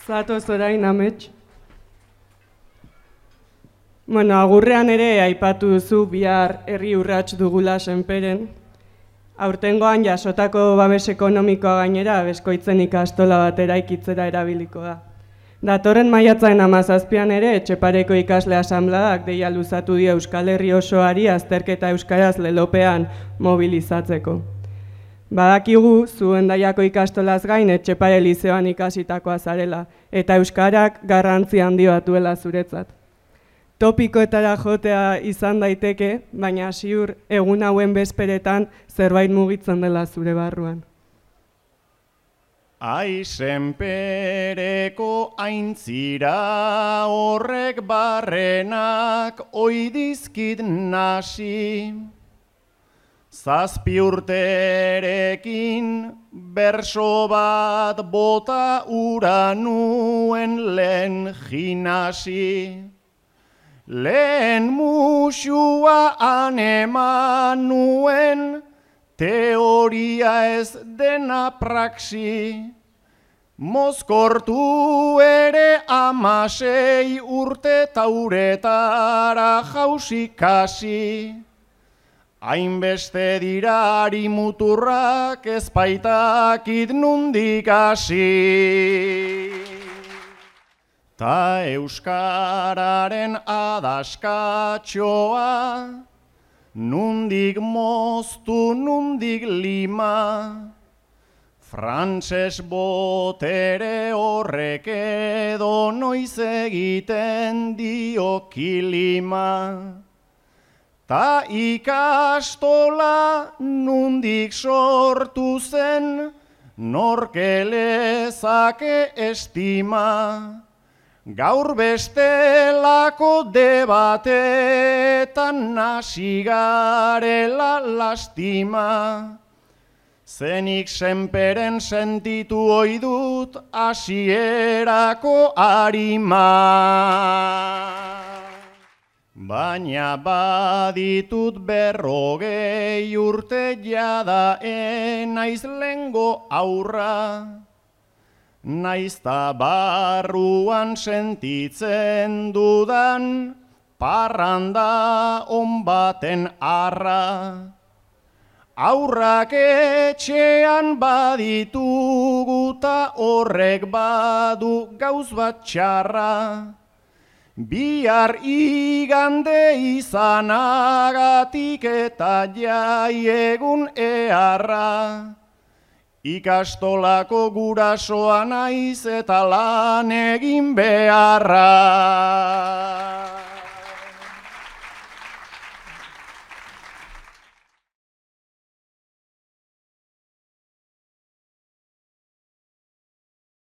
Zatoz orain amets. Bueno, agurrean ere aipatu duzu bihar herri urrats dugula Senperen. Aurtengoan jasotako babes ekonomikoa gainera Beskoitzen ikastola bat eraikitzera erabiliko da. Datorren maiatzaren 17an ere Etxepareko ikasle asanbladak deia luzatu dio Euskal Herri osoari azterketa euskaraz lelopean mobilizatzeko. Badakigu zu Hendaiako ikastolaz gain Etxepare lizeoan ikasitakoa zarela eta euskarak garrantzi handi bat duela zuretzat. Topikoetara jotea izan daiteke, baina ziur egun hauen bezperetan zerbait mugitzen dela zure barruan. Senpereko aintzira horrek barrenak oidizkit nasi. 7 urterekin berso bat bota ura nuen lehen jinasi. Lehen musua aneman nuen, teoria ez dena praxi. Mozkortu ere 16 urte tauretara jausikasi. Hainbeste dirari muturrak ezpaitakit nundik hasi. Ta euskararen adaskatxoa, nundik moztu, nundik lima. Frantses botere horrek edo noiz egiten dio kilima. Ta ikastola nundik sortu zen, norke lezake estima. Gaur bestelako debatetan nasi garela lastima. Zenik Senperen sentitu ohi dut hasierako arima. Baina baditut 40 urte jada enaiz lengo aurra. Naizta barruan sentitzen dudan parranda on baten arra. Aurrak etxean baditugu ta horrek badu gauz bat txarra. Bihar igande izanagatik eta jai egun eharra. Ikastolako gurasoa naiz eta lan egin beharra.